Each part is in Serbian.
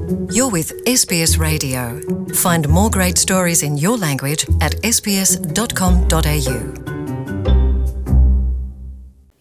You're with SBS Radio. Find more great stories in your language at sbs.com.au.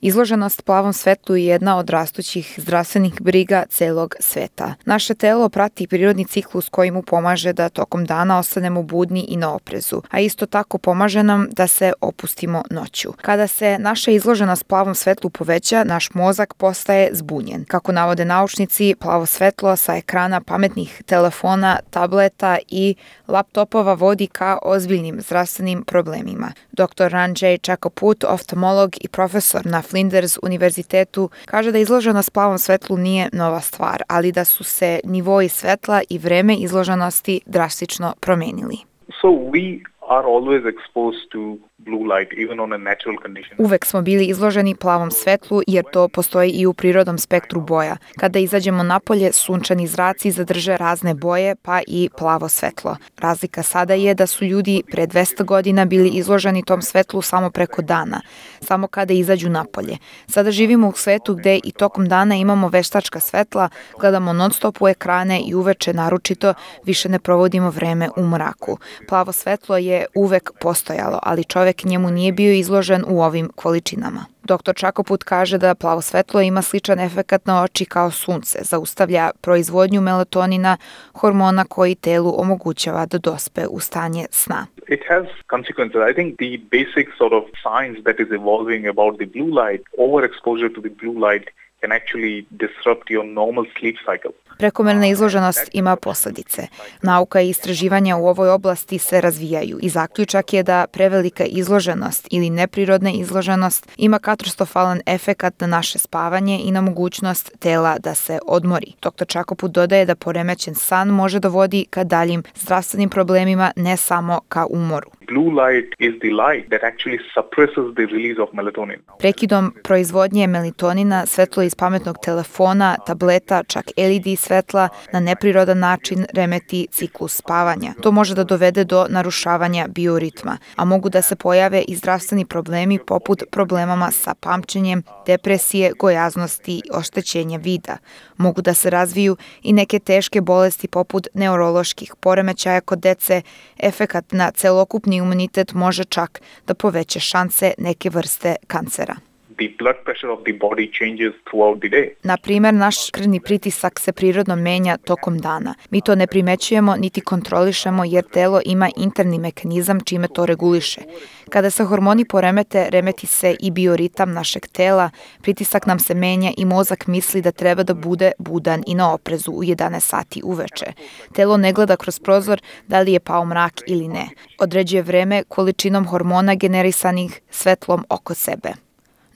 Izloženost plavom svetlu je jedna od rastućih zdravstvenih briga celog sveta. Naše telo prati prirodni ciklus koji mu pomaže da tokom dana ostanemo budni i na oprezu, a isto tako pomaže nam da se opustimo noću. Kada se naša izloženost plavom svetlu poveća, naš mozak postaje zbunjen. Kako navode naučnici, plavo svetlo sa ekrana pametnih telefona, tableta i laptopova vodi ka ozbiljnim zdravstvenim problemima. Dr. Ranjay Chakaput, oftalmolog i profesor na Flinders univerzitetu, kaže da izloženost plavom svetlu nije nova stvar, ali da su se nivoi svetla i vreme izloženosti drastično promenili. So we are always exposed to blue light, even on a natural condition. Uvek smo bili izloženi plavom svetlu jer to postoji i u prirodnom spektru boja. Kada izađemo napolje, sunčani zraci zadrže razne boje, pa i plavo svetlo. Razlika sada je da su ljudi pre 200 godina bili izloženi tom svetlu samo preko dana, samo kada izađu napolje. Sada živimo u svetu gde i tokom dana imamo veštačka svetla, gledamo non-stop u ekrane i uveče naročito više ne provodimo vreme u mraku. Plavo svetlo je uvek postojalo, ali čovek njemu nije bio izložen u ovim količinama. Dr. Chakaput kaže da plavo svetlo ima sličan efekat na oči kao sunce, zaustavlja proizvodnju melatonina, hormona koji telu omogućava da dospe u stanje sna. It has consequences. I think the basic sort of science that is evolving about the blue light, overexposure to the blue light can actually disrupt your normal sleep cycle. Prekomerna izloženost ima posledice. Nauka i istraživanja u ovoj oblasti se razvijaju i zaključak je da prevelika izloženost ili neprirodna izloženost ima katastrofalan efekat na naše spavanje i na mogućnost tela da se odmori. Dr. Chakaput dodaje da poremećen san može dovodi ka daljim zdravstvenim problemima, ne samo ka umoru. Blue light is the light that actually suppresses the release of melatonin. Prekidom proizvodnje melatonina, svetlo iz pametnog telefona, tableta, čak LED svetla na neprirodan način remeti ciklus spavanja. To može da dovede do narušavanja bioritma, a mogu da se pojave i zdravstveni problemi poput problemama sa pamćenjem, depresije, gojaznosti i oštećenja vida. Mogu da se razviju i neke teške bolesti poput neuroloških poremećaja kod dece. Efekat na celokupni imunitet može čak da poveća šanse neke vrste kancera. The blood pressure of the body changes throughout the day. Na primer, naš krvni pritisak se prirodno menja tokom dana. Mi to ne primećujemo niti kontrolišemo jer telo ima interni mehanizam čime to reguliše. Kada se hormoni poremete, remeti se i bioritam našeg tela, pritisak nam se menja i mozak misli da treba da bude budan i na oprezu u 11 sati uveče. Telo ne gleda kroz prozor da li je pao mrak ili ne. Određuje vreme količinom hormona generisanih svetlom oko sebe.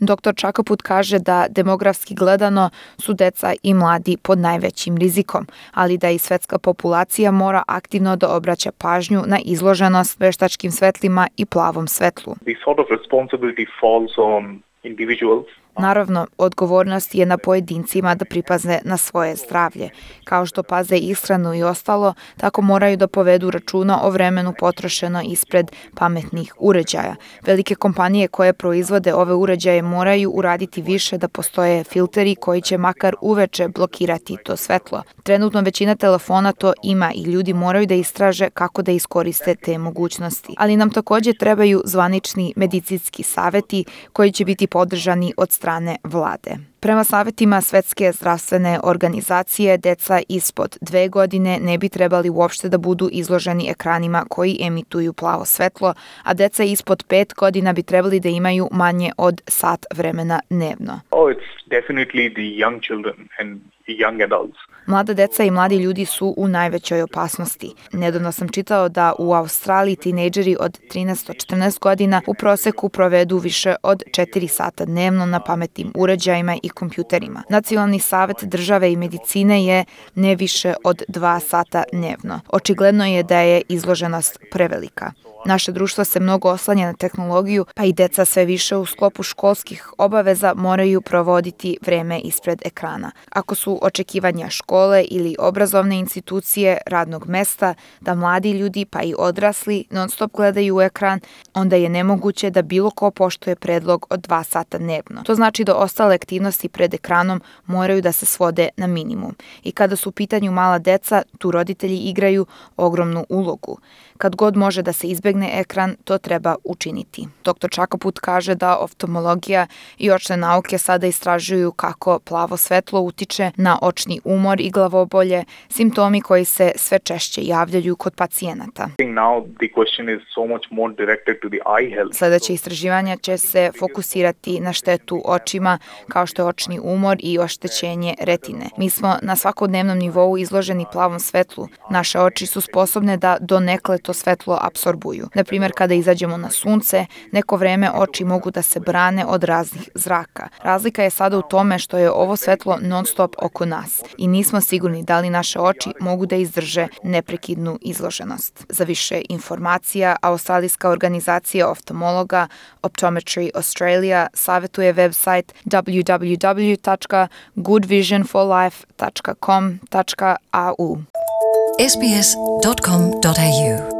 Dr. Chakaput kaže da demografski gledano su deca i mladi pod najvećim rizikom, ali da i svetska populacija mora aktivno da obraća pažnju na izloženost veštačkim svetlima i plavom svetlu. The sort of responsibility falls on individuals. Naravno, odgovornost je na pojedincima da pripaze na svoje zdravlje. Kao što paze ishranu i ostalo, tako moraju da povedu računa o vremenu potrošeno ispred pametnih uređaja. Velike kompanije koje proizvode ove uređaje moraju uraditi više da postoje filteri koji će makar uveče blokirati to svetlo. Trenutno većina telefona to ima i ljudi moraju da istraže kako da iskoriste te mogućnosti. Ali nam takođe trebaju zvanični medicinski saveti koji će biti podržani od strane vlade. Prema savetima Svetske zdravstvene organizacije, deca ispod 2 godine ne bi trebali uopšte da budu izloženi ekranima koji emituju plavo svetlo, a deca ispod 5 godina bi trebali da imaju manje od sat vremena dnevno. It's definitely the young children and young adults. Mlada deca i mladi ljudi su u najvećoj opasnosti. Nedavno sam čitao da u Australiji tinejdžeri od 13 do 14 godina u proseku provedu više od 4 sata dnevno na pametnim uređajima i kompjuterima. Nacionalni savet države i medicine je ne više od 2 sata dnevno. Očigledno je da je izloženost prevelika. Naše društvo se mnogo oslanja na tehnologiju, pa i deca sve više u sklopu školskih obaveza moraju provoditi vreme ispred ekrana. Ako su očekivanja škole ili obrazovne institucije, radnog mesta, da mladi ljudi pa i odrasli non-stop gledaju u ekran, onda je nemoguće da bilo ko poštuje predlog od 2 sata dnevno. To znači da ostale aktivnosti aktivnosti pred ekranom moraju da se svode na minimum. I kada su u pitanju mala deca, tu roditelji igraju ogromnu ulogu. Kad god može da se izbegne ekran, to treba učiniti. Dr. Čakaput kaže da oftalmologija i očne nauke sada istražuju kako plavo svetlo utiče na očni umor i glavobolje, simptomi koji se sve češće javljaju kod pacijenata. Sledeće istraživanja će se fokusirati na štetu očima, kao što je očni umor i oštećenje retine. Mi smo na svakodnevnom nivou izloženi plavom svetlu. Naše oči su sposobne da donekle to svetlo apsorbuju. Na primjer, kada izađemo na sunce, neko vreme oči mogu da se brane od raznih zraka. Razlika je sada u tome što je ovo svetlo non-stop oko nas i nismo sigurni da li naše oči mogu da izdrže neprekidnu izloženost. Za više informacija, Australijska organizacija oftalmologa Optometry Australia savjetuje website www.goodvisionforlife.com.au. sbs.com.au